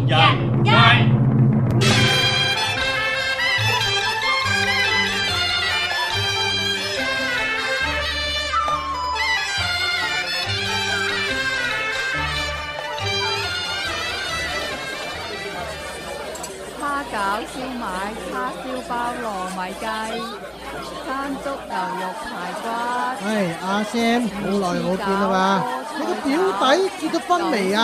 人街。蝦餃、燒賣、叉燒包、糯米雞、山竹牛肉排骨。阿 Sam，好耐冇見啦嘛？你個表弟結咗婚未啊？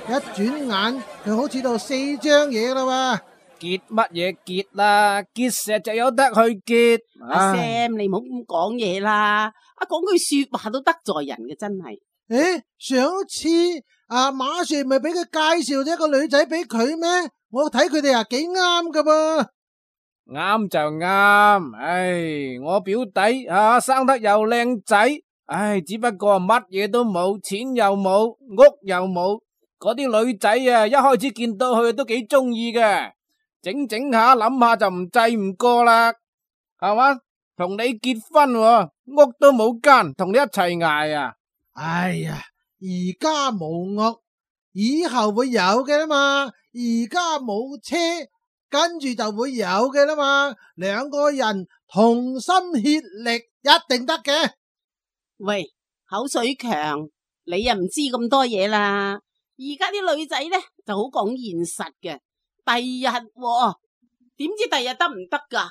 一轉眼佢好似到4張嘢啦喎。結乜嘢結啦？結石就有得去結。阿 Sam，你唔好咁講嘢啦，講句說話都得罪人嘅，真係。上次馬 Sir 咪俾佢介紹咗一個女仔俾佢咩？我睇佢哋幾啱噶噃。啱就啱，我表弟生得又靚仔，只不過乜嘢都冇，錢又冇，屋又冇。嗰啲女仔一開始見到佢都幾中意嘅，整下諗下就唔制唔過啦，係嘛？同你結婚屋都冇間，同你一齊捱啊！而家冇屋，以後會有嘅啦嘛。而家冇車，跟住就會有嘅啦嘛。兩個人同心協力，一定得嘅。喂，口水強，你又唔知咁多嘢啦。而家啲女仔呢就好講現實嘅，第日點知第日得唔得噶？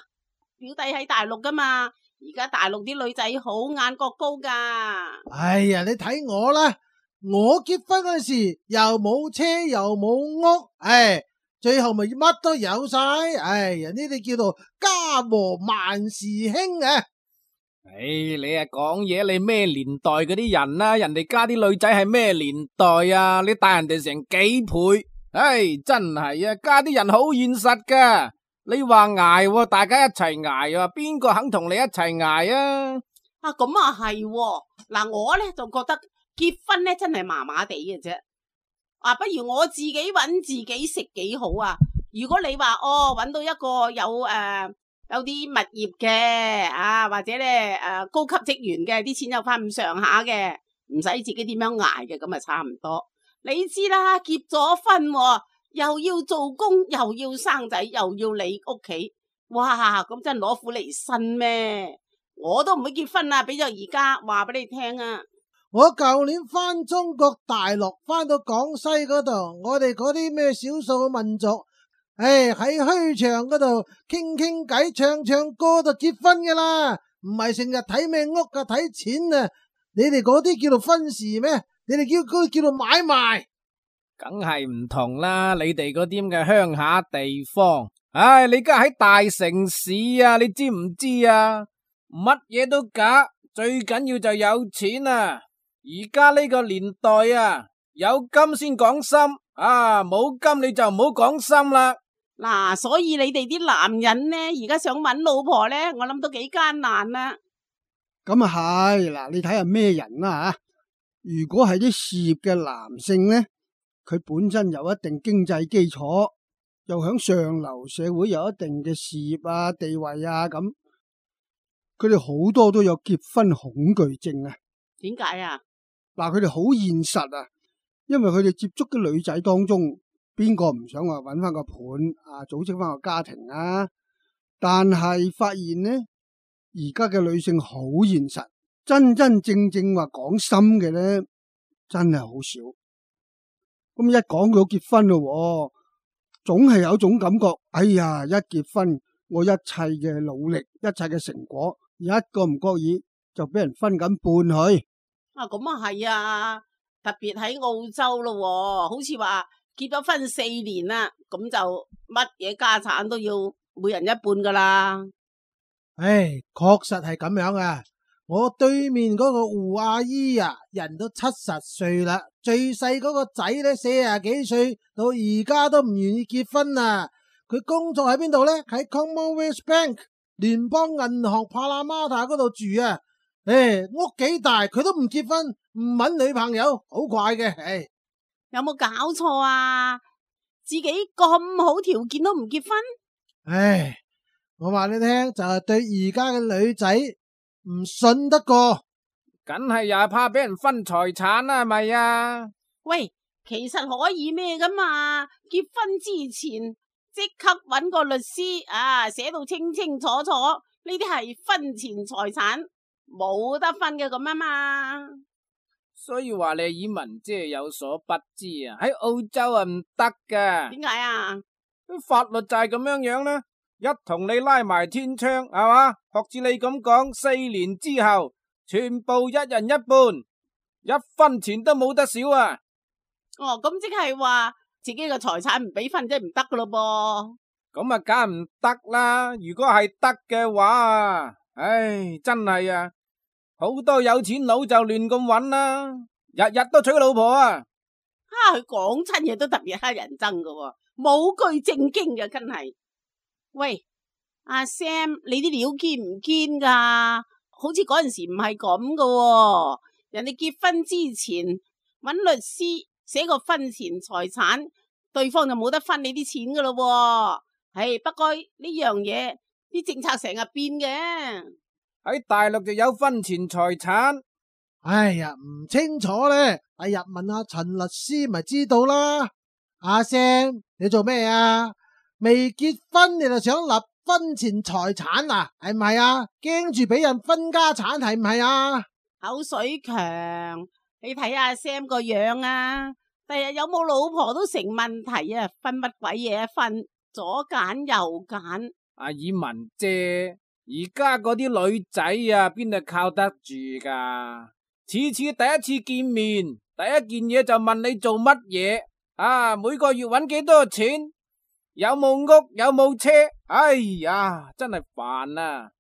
表弟喺大陸噶嘛，而家大陸啲女仔好眼角高噶。你睇我啦，我結婚嗰時又冇車又冇屋，最後咪乜都有晒。人呢啲叫做家和萬事興啊！你講嘢，你咩年代嗰啲人啊？人哋家啲女仔係咩年代啊？你大人哋成幾倍？真係啊！家啲人好現實噶。你話捱，大家一齊捱啊，邊個肯同你一齊捱啊？咁啊係，嗱我呢就覺得結婚呢真係麻麻地嘅啫。不如我自己搵自己食幾好啊！如果你話搵到一個有啲物業嘅或者咧高級職員嘅，啲錢有翻咁上下嘅，唔使自己點樣捱嘅，咁啊差唔多。你知啦，結咗婚又要做工，又要生仔，又要理屋企，哇！咁真係攞苦嚟辛咩？我都唔會結婚啦，俾咗而家話俾你聽啊！我舊年翻中國大陸，翻到廣西嗰度，我哋嗰啲咩少數民族，喺墟場嗰度傾偈、唱歌就結婚噶啦，唔係成日睇咩屋噶，睇錢啊！你哋嗰啲叫做婚事咩？你哋嗰啲叫做買賣，梗係唔同啦！你哋嗰啲咁嘅鄉下地方，你而家喺大城市啊，你知唔知啊？乜嘢都假，最緊要就有錢啊！而家呢個年代啊，有金先講心，冇金你就唔好講心啦。嗱，所以你哋啲男人呢，而家想搵老婆呢，我諗都幾艱難啦。咁啊係，嗱，你睇下咩人啦吓。如果係啲事業嘅男性呢，佢本身有一定經濟基礎，又響上流社會有一定嘅事業地位咁，佢哋好多都有結婚恐懼症啊。點解啊？嗱，佢哋好現實啊，因為佢哋接觸嘅女仔當中，邊個唔想話搵翻個伴組織翻個家庭啊？但係發現呢，而家嘅女性好現實，真正話講心嘅呢，真係好少。咁一講到結婚咯，總係有種感覺，一結婚，我一切嘅努力，一切嘅成果，一個唔覺意就俾人分緊半去。咁啊係啊，特別喺澳洲咯，好似話結咗婚4年啦，咁就乜嘢家產都要每人一半噶啦。確實係咁樣啊！我對面嗰個胡阿姨人都70歲啦，最細嗰個仔呢40幾歲，到而家都唔願意結婚啊！佢工作喺邊度呢？喺 Commonwealth Bank 聯邦銀行帕拉馬塔嗰度住啊！屋幾大，佢都唔結婚，唔搵女朋友，好怪嘅。有冇搞錯啊？自己咁好條件都唔結婚？我話你聽，就係對而家嘅女仔唔信得過，梗係又係怕俾人分財產啦，係咪啊？喂，其實可以咩噶嘛？結婚之前即刻搵個律師寫到清清楚楚，呢啲係婚前財產，冇得分嘅咁啊嘛。所以話你以文姐有所不知啊，喺澳洲啊唔得噶。點解啊？法律就係咁樣啦，一同你拉埋天窗係嘛？學似你咁講，4年之後全部一人一半，一分錢都冇得少啊！哦，咁即係話自己嘅財產唔俾分，即係唔得噶咯噃。咁啊，梗係唔得啦！如果係得嘅話啊，唉，真係啊，好多有錢佬就亂咁搵啦，日日都娶老婆啊！佢講親嘢都特別乞人憎噶，冇句正經嘅，真係。喂，阿 Sam，你啲料堅唔堅噶？好似嗰陣時唔係咁噶，人哋結婚之前搵律師寫個婚前財產，對方就冇得分你啲錢噶咯。不過呢樣嘢啲政策成日變嘅。喺大陸就有婚前財產。哎呀，唔清楚咧，第日問下陳律師咪知道啦。阿 Sam，你做咩啊？未結婚你就想立婚前財產啊？係唔係啊？驚住俾人分家產係唔係啊？口水強，你睇阿 Sam 個樣啊，第日有冇老婆都成問題啊！分乜鬼嘢啊？分左揀右揀。阿以文姐，而家嗰啲女仔啊，邊度靠得住噶？次次第一次見面，第一件嘢就問你做乜嘢啊？每個月搵幾多錢？有冇屋？有冇車？哎呀，真係煩啊！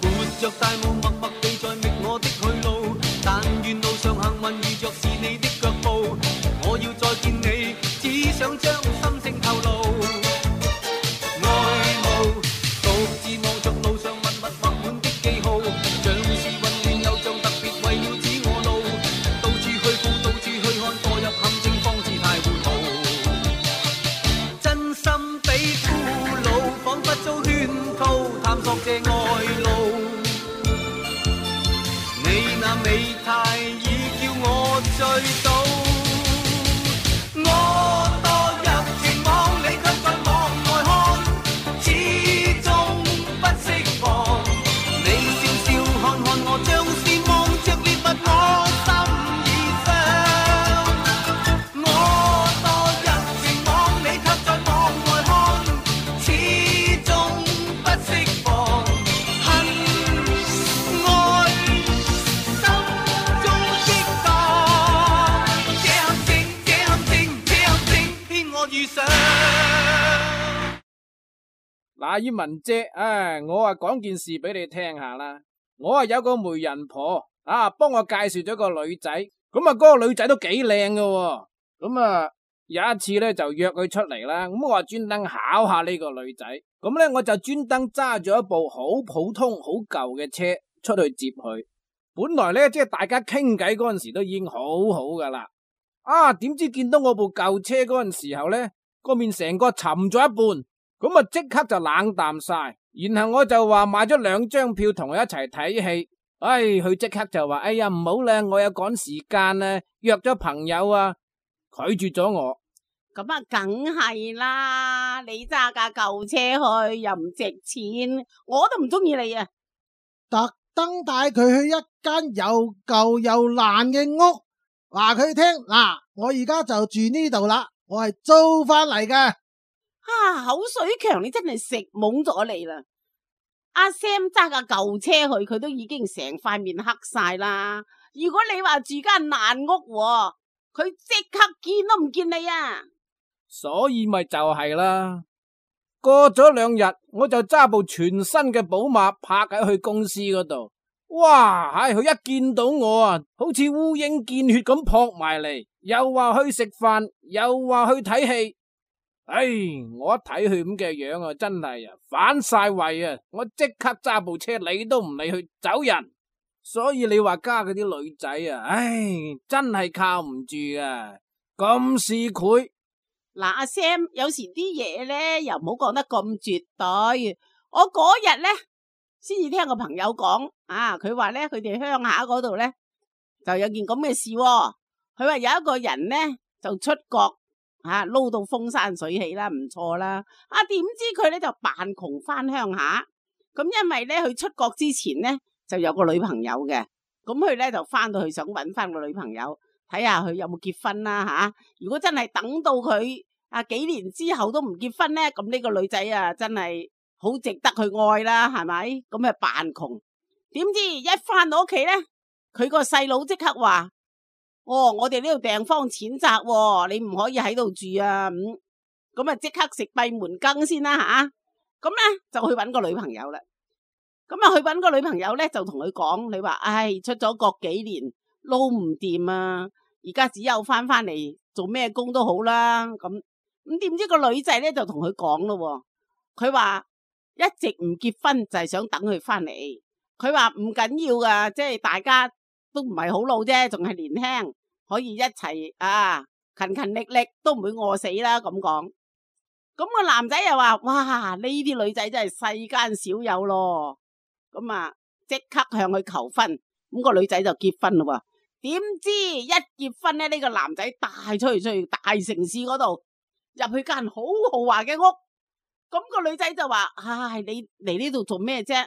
活着大霧，默默地在覓我的去路，但願路上幸運遇着是你的腳步。我要再見你，只想將心聲透露。愛慕獨自望着路上密密畫滿的記號，像是混亂又像特別為了指我路。到處去顧，到處去看，墮入陷阱方知太糊塗。真心比俘虜，彷彿遭圈套，探索這愛路。你那美態已叫我醉倒，我墮入情網，你卻在網外看，始終不釋放。你笑笑看看我，像是望着獵物，我心已傷。我墮入情網，你卻在網外看，始終不釋放。恨愛心中激盪，這陷阱，這陷阱，這陷阱，偏我遇上。嗱，以文姐，我啊講件事俾你聽下啦。我啊有個媒人婆啊，幫我介紹咗個女仔，咁啊嗰個女仔都幾靚噶，咁啊有一次咧就約佢出嚟啦，咁我話專登考下呢個女仔，咁咧我就專登揸咗一部好普通、好舊嘅車出去接佢。本來咧即係大家傾偈嗰陣時都已經好好噶啦，點知見到我部舊車嗰陣時候咧，個面成個沉咗一半。咁啊，即刻就冷淡晒，然後我就話買咗2張票同佢一齊睇戲，佢即刻就話，哎呀唔好啦，我有趕時間啊，約咗朋友啊，拒絕咗我。咁啊，梗係啦，你揸架舊車去又唔值錢，我都唔中意你啊！特登帶佢去一間又舊又爛嘅屋，話佢聽嗱，我而家就住呢度啦，我係租翻嚟嘅。口水強，你真係食懵咗你啦！阿 Sam 揸架舊車去，佢都已經成塊面黑晒啦。如果你話住間爛屋，佢即刻見都唔見你啊！所以咪就係啦。過咗2日，我就揸部全新嘅寶馬泊喺去公司嗰度。哇，佢一見到我啊，好似烏蠅見血咁撲埋嚟，又話去食飯，又話去睇戲。我一睇佢咁嘅樣啊，真係啊反晒胃啊！我即刻揸部車理都唔理去走人。所以你話家嗰啲女仔啊，真係靠唔住啊，咁市儈。嗱，阿 Sam 有時啲嘢咧又唔好講得咁絕對。我嗰日咧先至聽個朋友講啊，佢話咧佢哋鄉下嗰度咧就有件咁嘅事喎。佢話有一個人咧就出國撈到風生水起啦，唔錯啦。點知佢咧就扮窮翻鄉下。咁因為咧佢出國之前咧就有個女朋友嘅，咁佢咧就翻到去想搵翻個女朋友，睇下佢有冇結婚啦。如果真係等到佢幾年之後都唔結婚咧，咁呢個女仔真係好值得去愛啦，係咪？咁啊扮窮，點知一翻到屋企咧，佢個細佬即刻話：我哋呢度地方淺窄，你唔可以喺度住啊！咁啊即刻食閉門羹先啦吓。咁咧就去搵個女朋友啦。咁去搵個女朋友咧，就同佢講：你話出咗國幾年撈唔掂啊，而家只有翻嚟做咩工都好啦。咁點知個女仔咧就同佢講咯，佢話一直唔結婚就係想等佢翻嚟。佢話唔緊要噶，即係大家都唔係好老啫，仲係年輕，可以一齊勤勤力力都唔會餓死啦。咁講，咁個男仔又話：哇，呢啲女仔真係世間少有咯。咁即刻向佢求婚，咁個女仔就結婚咯。點知一結婚咧，呢個男仔帶出去大城市嗰度，入去間好豪華嘅屋。咁個女仔就話：你嚟呢度做咩啫？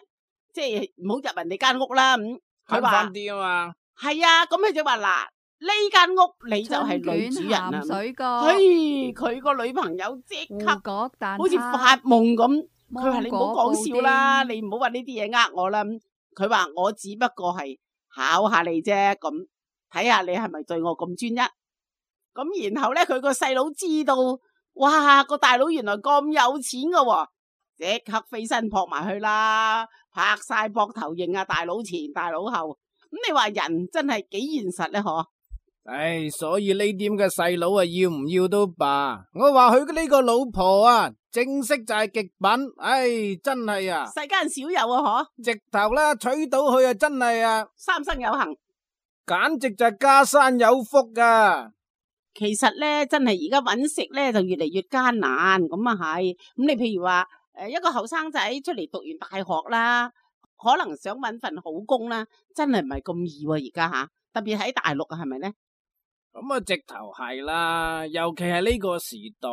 即係唔好入人哋間屋啦。佢話啲啊嘛，係啊。咁佢就話：嗱，呢間屋你就係女主人啊。佢個女朋友即刻好似發夢咁。佢話：你唔好講笑啦，你唔好話呢啲嘢我啦。佢話：我只不過係考下你啫，咁睇下你係咪對我咁專一。咁然後咧，佢個細佬知道，哇，個大佬原來咁有錢噶喎，即刻飛身撲埋去啦，拍晒膊頭認大佬前大佬後。咁你話人真係幾現實咧？嗬？所以呢啲咁嘅細佬要唔要都罷。我話佢呢個老婆正式就係極品。真係世間少有嗬。直頭啦，娶到佢真係三生有幸，簡直就係家山有福噶。其實咧，真係而家搵食咧就越嚟越艱難。咁係。咁你譬如話一個後生仔出嚟讀完大學啦，可能想搵份好工啦，真係唔係咁易而家特別喺大陸係咪咧？咁直頭係啦，尤其係呢個時代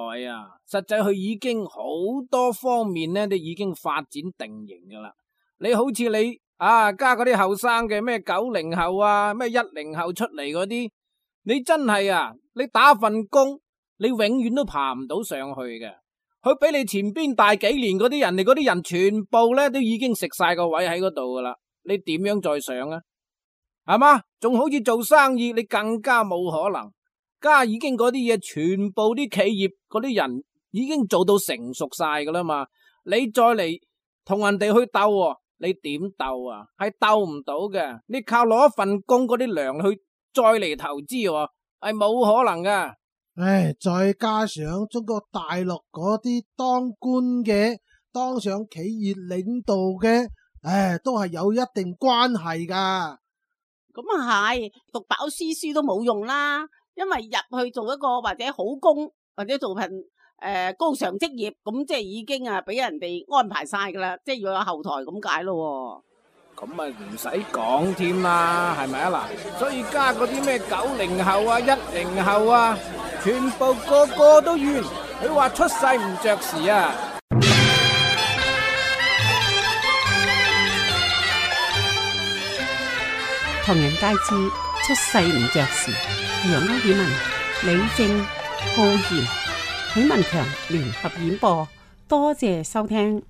實際佢已經好多方面咧都已經發展定型噶啦。你好似你加嗰啲後生嘅咩90後咩10後出嚟嗰啲，你真係你打份工，你永遠都爬唔到上去嘅。佢比你前邊大幾年嗰啲人，你嗰啲人全部咧都已經食晒個位喺嗰度噶啦，你點樣再上啊？係嘛？仲好似做生意，你更加冇可能。家已經嗰啲嘢，全部啲企業嗰啲人已經做到成熟晒噶啦嘛。你再嚟同人哋去鬥，你點鬥係鬥唔到嘅。你靠攞一份工嗰啲糧去再嚟投資，係冇可能噶。再加上中國大陸嗰啲當官嘅、當上企業領導嘅，都係有一定關係噶。咁係，讀飽書都冇用啦，因為入去做一個或者好工，或者做份高尚職業，咁即係已經俾人哋安排晒噶啦，即係要有後台咁解咯。咁唔使講添啦，係咪嗱？所以加嗰啲咩90後10後全部個個都怨，佢話出世唔着時唐人街知出世唔着時，楊歐爾文、李正、浩然、許文強聯合演播，多謝收聽。